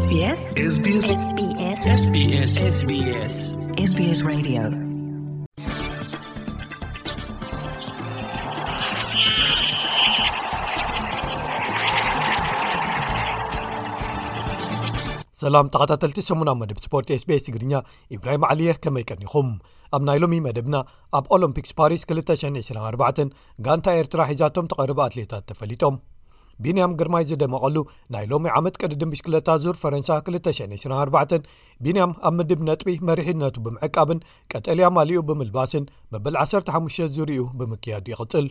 SBS SBS SBS SBS SBS Radio. ሰላም ተኸታተልቲ ሰሙና መደብ ስፖርት SBS ትግርኛ፣ ኢብራሂም ዓሊየ፣ ከመይ ቀኒኹም? ኣብ ናይ ሎሚ መደብና፣ ኣብ ኦሎምፒክስ ፓሪስ ክልተ ሽሕን ዕስራን ኣርባዕተን ጋንታ ኤርትራ ሒዛቶም ትቐርብ ኣትሌታት ተፈሊጦም። ቢንያም ግርማይ ዝደመቐሉ ናይ ሎሚ ዓመት ቅድድም ብሽክለታ ዙር ፈረንሳ ክልተ ሽሕን ዕስራን ኣርባዕተን፣ ቢንያም ኣብ ምድብ ነጥቢ መሪሕነቱ ብምዕቃብን ቀጠልያ ማሊኡ ብምልባስን መበል ዓሰርተ ሓሙሽተ ዙርኡ ብምክያድ ይቕጽል።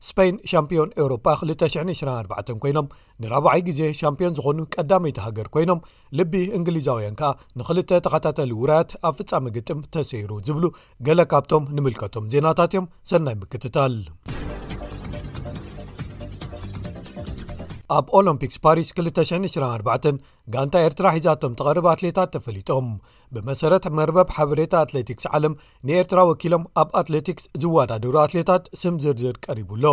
ስፔን ሻምፒዮን ኤውሮጳ ክልተ ሽሕን ዕስራን ኣርባዕተን ኮይኖም፣ ንራብዓይ ግዜ ሻምፒዮን ዝኾኑ ቀዳመይቲ ሃገር ኮይኖም፣ ልቢ እንግሊዛውያን ከኣ ንኽልተ ተኸታታሊ ውራያት ኣብ ፍጻመ ግጥም ተሰይሩ ዝብሉ ገለ ካብቶም ንምልከቶም ዜናታት እዮም። ሰናይ ምክትታል። ኣብ ኦሎምፒክስ ፓሪስ ክልተ ሽሕን ዕስራን ኣርባዕተን ጋንታ ኤርትራ ሒዛቶም ትቐርብ ኣትሌታት ተፈሊጦም። ብመሰረት መርበብ ሓበሬታ ኣትሌቲክስ ዓለም፣ ንኤርትራ ወኪሎም ኣብ ኣትሌቲክስ ዝወዳደሩ ኣትሌታት ስም ዝርዝር ቀሪቡ ኣሎ።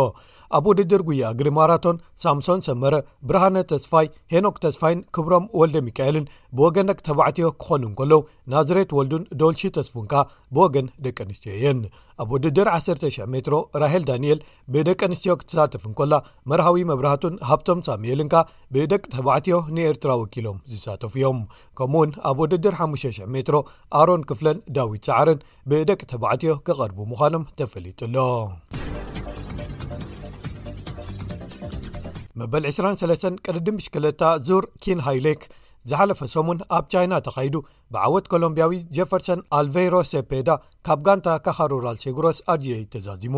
ኣብ ውድድር ጉያ እግሪ ማራቶን፣ ሳምሶን ሰመረ፣ ብርሃነ ተስፋይ፣ ሄኖክ ተስፋይን ክብሮም ወልደ ሚካኤልን ብወገን ደቂ ተባዕትዮ ክኾኑ እንከለዉ፣ ናዝሬት ወልዱን ዶልሺ ተስፉን ከኣ ብወገን ደቂ ኣንስትዮ እየን። ኣብ ውድድር ዓሰርተ ሽሕ ሜትሮ፣ ራሄል ዳንኤል ብደቂ ኣንስትዮ ክትሳተፍ እንከላ፣ መርሃዊ መብራህቱን ሃብቶም ሳሙኤልን ከኣ ብደቂ ተባዕትዮ ንኤርትራ ወኪሎም ዝሳተፉ እዮም። ከምኡውን ኣብ ውድድር ሓሙሽተ ሽሕ ሜትሮ፣ ኣሮን ክፍለን ዳዊት ሰዓርን ብደቂ ተባዕትዮ ክቐርቡ ምዃኖም ተፈሊጡ ኣሎ። መበል ዕስራን ሰለስተን ቅድድም ብሽክለታ ዙር ኪን ሃይሌክ ዝሓለፈ ሰሙን ኣብ ቻይና ተኻይዱ፣ ብዓወት ኮሎምቢያዊ ጀፈርሰን ኣልቬይሮ ሴፔዳ ካብ ጋንታ ካኻሩራል ሴጉሮስ ኣርጂኤ ተዛዚሙ።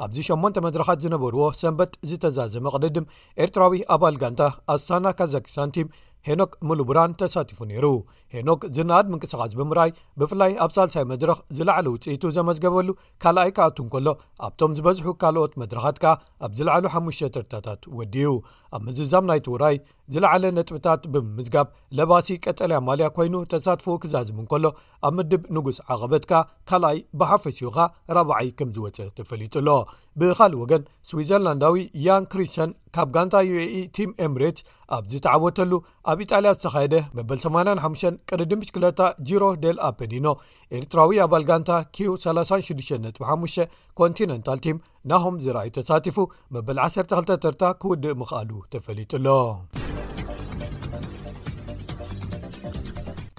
ኣብዚ ሸሞንተ መድረኻት ዝነበርዎ ሰንበት ዝተዛዘመ ቅድድም፣ ኤርትራዊ ኣባል ጋንታ ኣስታና ካዛክስታን ቲም ሄኖክ ሙሉብራን ተሳቲፉ ነይሩ። ሄኖክ ዝነኣድ ምንቅስቓስ ብምርኣይ፣ ብፍላይ ኣብ ሳልሳይ መድረኽ ዝለዓለ ውጽኢቱ ዘመዝገበሉ ካልኣይ ክኣቱ እንከሎ፣ ኣብቶም ዝበዝሑ ካልኦት መድረኻት ከኣ ኣብ ዝለዓሉ ሓሙሽተ ተርታታት ወዲኡ። ኣብ ምዝዛም ናይቲ ውራይ ዝለዓለ ነጥብታት ብምምዝጋብ፣ ለባሲ ቀጠልያ ማልያ ኮይኑ ተሳትፎኡ ክዛዝም እንከሎ፣ ኣብ ምድብ ንጉስ ዓቐበት ከኣ ካልኣይ፣ ብሓፈሽኡ ከኣ ራብዓይ ከም ዝወጸ ተፈሊጡ ኣሎ። ብኻልእ ወገን፣ ስዊዘርላንዳዊ ያን ክሪስተን ካብ ጋንታ ዩ ኤ ኢ ቲም ኤምሬትስ ኣብ ዝተዓወተሉ፣ ኣብ ኢጣልያ ዝተኻየደ መበል ሰማንያን ሓሙሽተን ቅድድም ብሽክለታ ጂሮ ዴል ኣፐኒኖ፣ ኤርትራዊ ኣባል ጋንታ ኪው ሰላሳን ሽዱሽተን ነጥቢ ሓሙሽተ ኮንቲነንታል ቲም ናሆም ዝርኣይ ተሳቲፉ፣ መበል ዓሰርተ ክልተ ተርታ ክውድእ ምኽኣሉ ተፈሊጡ ኣሎ።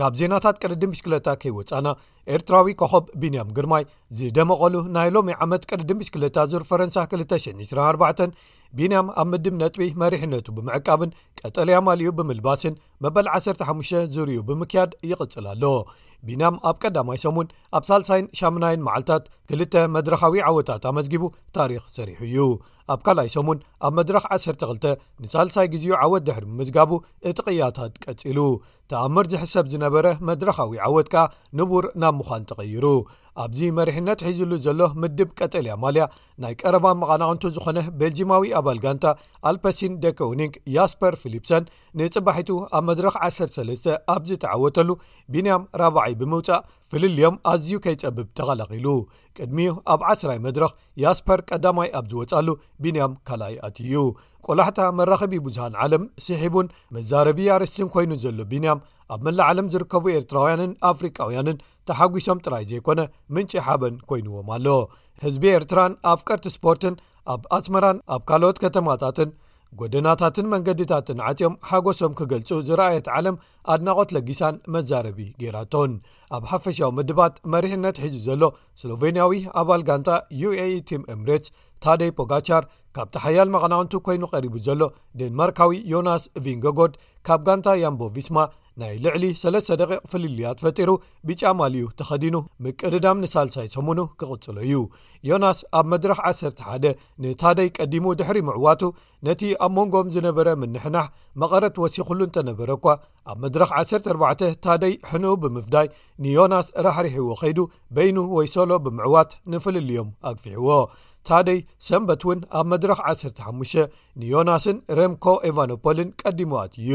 ካብ ዜናታት ቅድድም ብሽክለታ ከይወጻና፣ ኤርትራዊ ኮኸብ ቢንያም ግርማይ ዝደመቐሉ ናይ ሎሚ ዓመት ቅድድም ብሽክለታ ዙር ፈረንሳ ክልተ ሽሕን ዕስራን ኣርባዕተን፣ ቢንያም ኣብ ምድብ ነጥቢ መሪሕነቱ ብምዕቃብን ቀጠልያ ማልዩ ብምልባስን መበል ዓሰርተ ሓሙሽተ ዙርኡ ብምክያድ ይቕጽል ኣሎ። ቢንያም ኣብ ቀዳማይ ሰሙን፣ ኣብ ሳልሳይን ሻምናይን መዓልታት ክልተ መድረኻዊ ዓወታት ኣመዝጊቡ ታሪኽ ሰሪሑ እዩ። ኣብ ካልኣይ ሰሙን፣ ኣብ መድረኽ ዓሰርተ ክልተ ንሳልሳይ ግዜኡ ዓወት ድሕሪ ምምዝጋቡ፣ እቲ ቅያታት ቀጺሉ። ተኣምር ዝሕሰብ ዝነበረ መድረኻዊ ዓወት ከኣ ንቡር ናብ ምዃን ተቐይሩ። ኣብዚ መሪሕነት ሒዝሉ ዘሎ ምድብ ቀጠልያ ማልያ፣ ናይ ቀረባ መቓናቕንቱ ዝኾነ ቤልጂማዊ ኣባል ጋንታ ኣልፐሲን ደከውኒንግ ያስፐር ፊሊፕሰን፣ ንጽባሒቱ ኣብ መድረኽ ዓሰርተ ሰለስተ ኣብ ዝተዓወተሉ፣ ቢንያም ራብዓይ ብምውጻእ፣ ፍልልዮም ኣዝዩ ከይጸብብ ተኸላኺሉ። ቅድሚኡ ኣብ ዓስራይ መድረኽ ያስፐር ቀዳማይ ኣብ ዝወጻሉ፣ ቢንያም ካልኣይ ኣትዩ። ቆላሕታ መራኸቢ ብዙሃን ዓለም ስሒቡን መዛረቢ ኣርእስትን ኮይኑ ዘሎ ቢንያም፣ ኣብ መላእ ዓለም ዝርከቡ ኤርትራውያንን ኣፍሪቃውያንን ተሓጒሶም ጥራይ ዘይኮነ፣ ምንጪ ሓበን ኮይንዎም ኣሎ። ህዝቢ ኤርትራን ኣፍቀርቲ ስፖርትን ኣብ ኣስመራን ኣብ ካልኦት ከተማታትን ጎደናታትን መንገድታትን ዓጽዮም ሓጎሶም ክገልጹ ዝረኣየት ዓለም ኣድናቖት ለጊሳን መዛረቢ ገይራቶን። ኣብ ሓፈሻዊ ምድባት መሪሕነት ሒዙ ዘሎ ስሎቬንያዊ ኣባል ጋንታ ዩ ኤ ኢ ቲም ኤምሬትስ ታደይ ፖጋቻር፣ ካብቲ ሓያል መቐናቕንቱ ኮይኑ ቀሪቡ ዘሎ ዴንማርካዊ ዮናስ ቪንገጎድ ካብ ጋንታ ያምቦ ቪስማ ናይ ልዕሊ ሰለስተ ደቂቕ ፍልልያት ፈጢሩ፣ ብጫ ማልዩ ተኸዲኑ ምቅድዳም ንሳልሳይ ሰሙኑ ክቕጽሎ እዩ። ዮናስ ኣብ መድረኽ ዓሰርተ ሓደ ንታደይ ቀዲሙ ድሕሪ ምዕዋቱ፣ ነቲ ኣብ መንጎኦም ዝነበረ ምንሕናሕ መቐረት ወሲኹሉ እንተነበረ እኳ፣ ኣብ መድረኽ ዓሰርተ ኣርባዕተ ታደይ ሕንኡ ብምፍዳይ ንዮናስ ራሕሪሕዎ ከይዱ፣ በይኑ ወይ ሶሎ ብምዕዋት ንፍልልዮም ኣግፊሕዎ። ታደይ ሰንበት እውን ኣብ መድረኽ ዓሰርተ ሓሙሽተ ንዮናስን ረምኮ ኤቫኖፖልን ቀዲሙ ኣትዩ።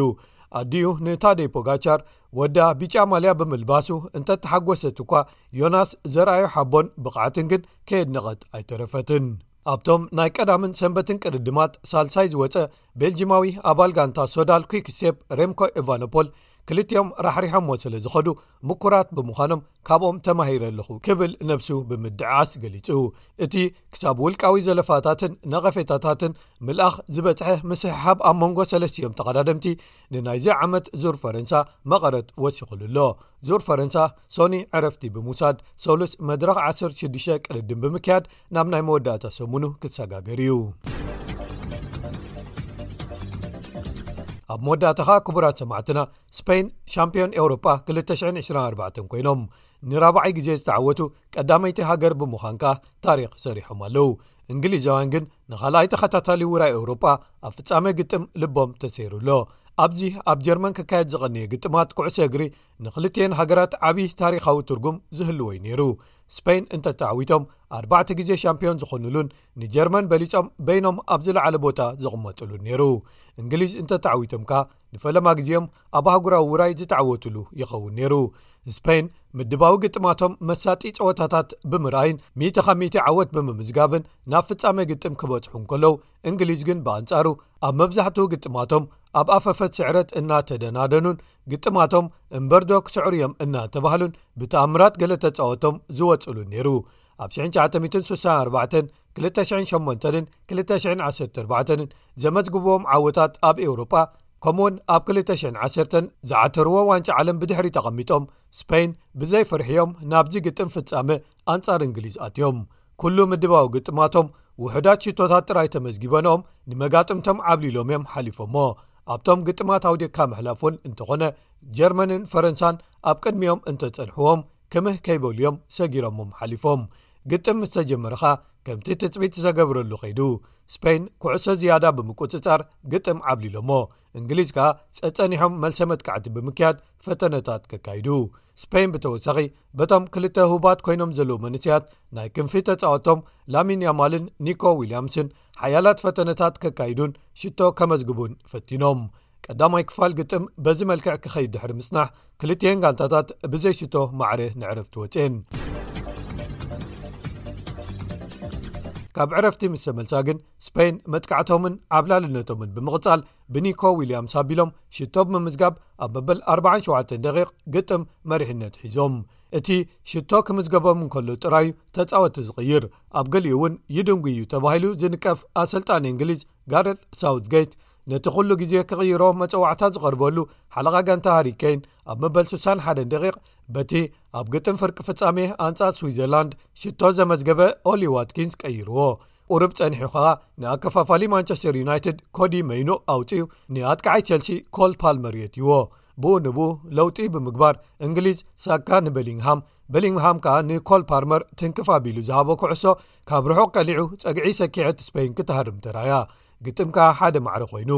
ኣዲኡ ንታደይ ፖጋቻር ወዳ ብጫ ማልያ ብምልባሱ እንተተሓጎሰት እኳ፣ ዮናስ ዘርኣዮ ሓቦን ብቕዓትን ግን ከየድነቐት ኣይተረፈትን። ኣብቶም ናይ ቀዳምን ሰንበትን ቅድድማት ሳልሳይ ዝወጸ ቤልጂማዊ ኣባል ጋንታ ሶዳል ኲክ ስቴፕ ሬምኮ ኤቫኖፖል፣ ክልቲኦም ራሕሪሖሞ ስለ ዝኸዱ ምኩራት ብምዃኖም ካብኦም ተማሂረ ኣለኹ ክብል ነብሱ ብምድዓስ ገሊጹ። እቲ ክሳብ ውልቃዊ ዘለፋታትን ነቐፌታታትን ምልኣኽ ዝበጽሐ ምስሕሓብ ኣብ መንጎ ሰለስቲኦም ተቐዳደምቲ ንናይዚ ዓመት ዙር ፈረንሳ መቐረት ወሲኹሉ ኣሎ። ዙር ፈረንሳ ሶኒ ዕረፍቲ ብምውሳድ ሰሉስ መድረኽ ዓሰርተ ሽዱሽተ ቅድድም ብምክያድ ናብ ናይ መወዳእታ ሰሙኑ ክሰጋገር እዩ። ኣብ መወዳእታ ኸኣ ክቡራት ሰማዕትና፣ ስፔን ሻምፒዮን ኤውሮጳ ክልተ ሽሕን ዕስራን ኣርባዕተን ኮይኖም ንራብዓይ ግዜ ዝተዓወቱ ቀዳመይቲ ሃገር ብምዃን ከኣ ታሪኽ ሰሪሖም ኣለዉ። እንግሊዛውያን ግን ንኻልኣይ ተኸታታሊ ውራይ ኤውሮጳ ኣብ ፍጻመ ግጥም ልቦም ተሰይሩ ኣሎ። ኣብዚ ኣብ ጀርመን ክካየድ ዝቐነየ ግጥማት ኩዕሶ እግሪ ንክልቲኤን ሃገራት ዓቢ ታሪኻዊ ትርጉም ዝህልዎ እዩ ነይሩ። ስፔን እንተተዓዊቶም ኣርባዕተ ግዜ ሻምፒዮን ዝኾኑሉን ንጀርመን በሊጾም በይኖም ኣብ ዝለዓለ ቦታ ዝቕመጥሉን ነይሩ። እንግሊዝ እንተተዓዊቶም ከኣ ንፈለማ ግዜኦም ኣብ ኣህጉራዊ ውራይ ዝተዓወቱሉ ይኸውን ነይሩ። ስፔን ምድባዊ ግጥማቶም መሳጢ ጸወታታት ብምርኣይን ሚእቲ ካብ ሚእቲ ዓወት ብምምዝጋብን ናብ ፍጻመ ግጥም ክበጽሑ እንከለዉ፣ እንግሊዝ ግን ብኣንጻሩ ኣብ መብዛሕትኡ ግጥማቶም ኣብ ኣፈፈት ስዕረት እናተደናደኑን ግጥማቶም እምበርዶ ክስዕሩ እዮም እናተባህሉን ብተኣምራት ገለ ተጻወቶም ዝወጽሉን ነይሩ። ኣብ ሽሕን ትሽዓተ ሚእትን ስሳን ኣርባዕተን፣ ክልተ ሽሕን ሸሞንተንን ክልተ ሽሕን ዓሰርተ ኣርባዕተንን ዘመዝግብዎም ዓወታት ኣብ ኤውሮጳ፣ ከምኡውን ኣብ ክልተ ሽሕን ዓሰርተን ዝዓተርዎ ዋንጫ ዓለም ብድሕሪ ተቐሚጦም፣ ስፔን ብዘይ ፍርሒ እዮም ናብዚ ግጥም ፍጻመ ኣንጻር እንግሊዝ ኣትዮም። ኩሉ ምድባዊ ግጥማቶም ውሑዳት ሽቶታት ጥራይ ተመዝጊበንኦም ንመጋጥምቶም ዓብሊሎም እዮም ሓሊፎሞ። ኣብቶም ግጥማት ኣውዲቕካ ምሕላፍ እውን እንተኾነ፣ ጀርመንን ፈረንሳን ኣብ ቅድሚኦም እንተጸንሕዎም፣ ክምህ ከይበሉ እዮም ሰጊሮሞም ሓሊፎም። ግጥም ምስ ተጀመረ ኸኣ ከምቲ ትጽቢት ዝተገብረሉ ከይዱ። ስፔን ኩዕሶ ዝያዳ ብምቁጽጻር ግጥም ዓብሊሎሞ። እንግሊዝ ከኣ ጸጸኒሖም መልሰ መጥቃዕቲ ብምክያድ ፈተነታት ከካይዱ። ስፔን ብተወሳኺ በቶም ክልተ ህቡባት ኮይኖም ዘለዉ መንእሰያት ናይ ክንፊ ተጻወቶም ላሚን ያማልን ኒኮ ዊልያምስን ሓያላት ፈተነታት ከካይዱን ሽቶ ከመዝግቡን ፈቲኖም። ቀዳማይ ክፋል ግጥም በዚ መልክዕ ክኸይድ ድሕሪ ምጽናሕ፣ ክልቲኤን ጋንታታት ብዘይ ሽቶ ማዕረ ንዕረፍቲ ወጽኤን። ካብ ዕረፍቲ ምስ ተመልሳ ግን፣ ስፔን መጥቃዕቶምን ዓብላልነቶምን ብምቕጻል፣ ብኒኮ ዊልያምስ ኣቢሎም ሽቶ ብምምዝጋብ ኣብ መበል ኣርባዓን ሸውዓተን ደቂቕ ግጥም መሪሕነት ሒዞም። እቲ ሽቶ ክምዝገቦም እንከሎ ጥራዩ ተጻወቲ ዝቕይር፣ ኣብ ገሊኡ እውን ይድንጉ እዩ ተባሂሉ ዝንቀፍ ኣሰልጣኒ እንግሊዝ ጋሬት ሳውትጌት፣ ነቲ ኩሉ ግዜ ክቕይሮ መጸዋዕታ ዝቐርበሉ ሓለቓ ጋንታ ሃሪ ኬን ኣብ መበል ስሳን ሓደን ደቂቕ በቲ ኣብ ግጥም ፍርቂ ፍጻሜ ኣንጻር ስዊዘርላንድ ሽቶ ዘመዝገበ ኦሊ ዋትኪንስ ቀይርዎ። ቁሩብ ጸኒሑ ኸኣ ንኣከፋፋሊ ማንቸስተር ዩናይትድ ኮዲ መይኖ ኣውጺኡ ንኣጥቃዓይ ቸልሲ ኮል ፓልመር የእትይዎ። ብኡ ንብኡ ለውጢ ብምግባር እንግሊዝ ሳካ ንበሊንግሃም፣ በሊንግሃም ከኣ ንኮል ፓልመር ትንክፍ ኣቢሉ ዝሃቦ ኩዕሶ ካብ ርሑቕ ቀሊዑ ጸግዒ ሰኪዐት ስፔን ክትሃርም ተራእያ። ግጥም ከኣ ሓደ ማዕረ ኮይኑ።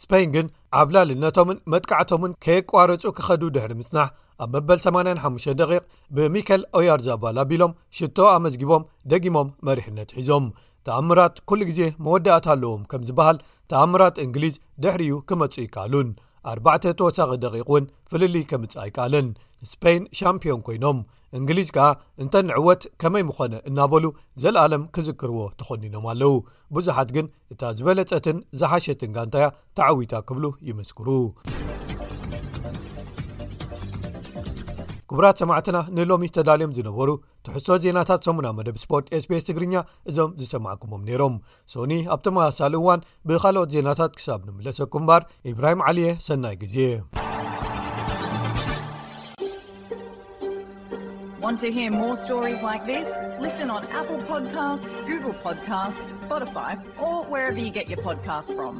ስፔን ግን ዓብላልነቶምን መጥቃዕቶምን ከየቋረጹ ክኸዱ ድሕሪ ምጽናሕ ኣብ መበል ሰማንያን ሓሙሽተን ደቂቕ ብሚከል ኦያርዛባል ኣቢሎም ሽቶ ኣመዝጊቦም ደጊሞም መሪሕነት ሒዞም። ተኣምራት ኩሉ ግዜ መወዳእታ ኣለዎም ከም ዝበሃል፣ ተኣምራት እንግሊዝ ድሕሪኡ ክመጹ ይከኣሉን። ኣርባዕተ ተወሳኺ ደቂቕ እውን ፍልልይ ከምጽእ ኣይከኣለን። ስፔን ሻምፒዮን ኮይኖም፣ እንግሊዝ ከኣ እንተ ንዕወት ከመይ ምኾነ እናበሉ ዘለኣለም ክዝክርዎ ተኾኒኖም ኣለዉ። ብዙሓት ግን እታ ዝበለጸትን ዝሓሸትን ጋንታያ ተዓዊታ ክብሉ ይምስክሩ። ክቡራት ሰማዕትና፣ ንሎሚ ተዳልዮም ዝነበሩ ትሕዝቶ ዜናታት ሰሙና መደብ ስፖርት ኤስቢኤስ ትግርኛ እዞም ዝሰማዕኩሞም ነይሮም። ሶኒ ኣብ ተመሳሳሊ እዋን ብኻልኦት ዜናታት ክሳብ ንምለሰኩም እምበር፣ ኢብራሂም ዓሊየ፣ ሰናይ ግዜ። Want to hear more stories like this? Listen on Apple Podcasts, Google Podcasts, Spotify, or wherever you get your podcasts from.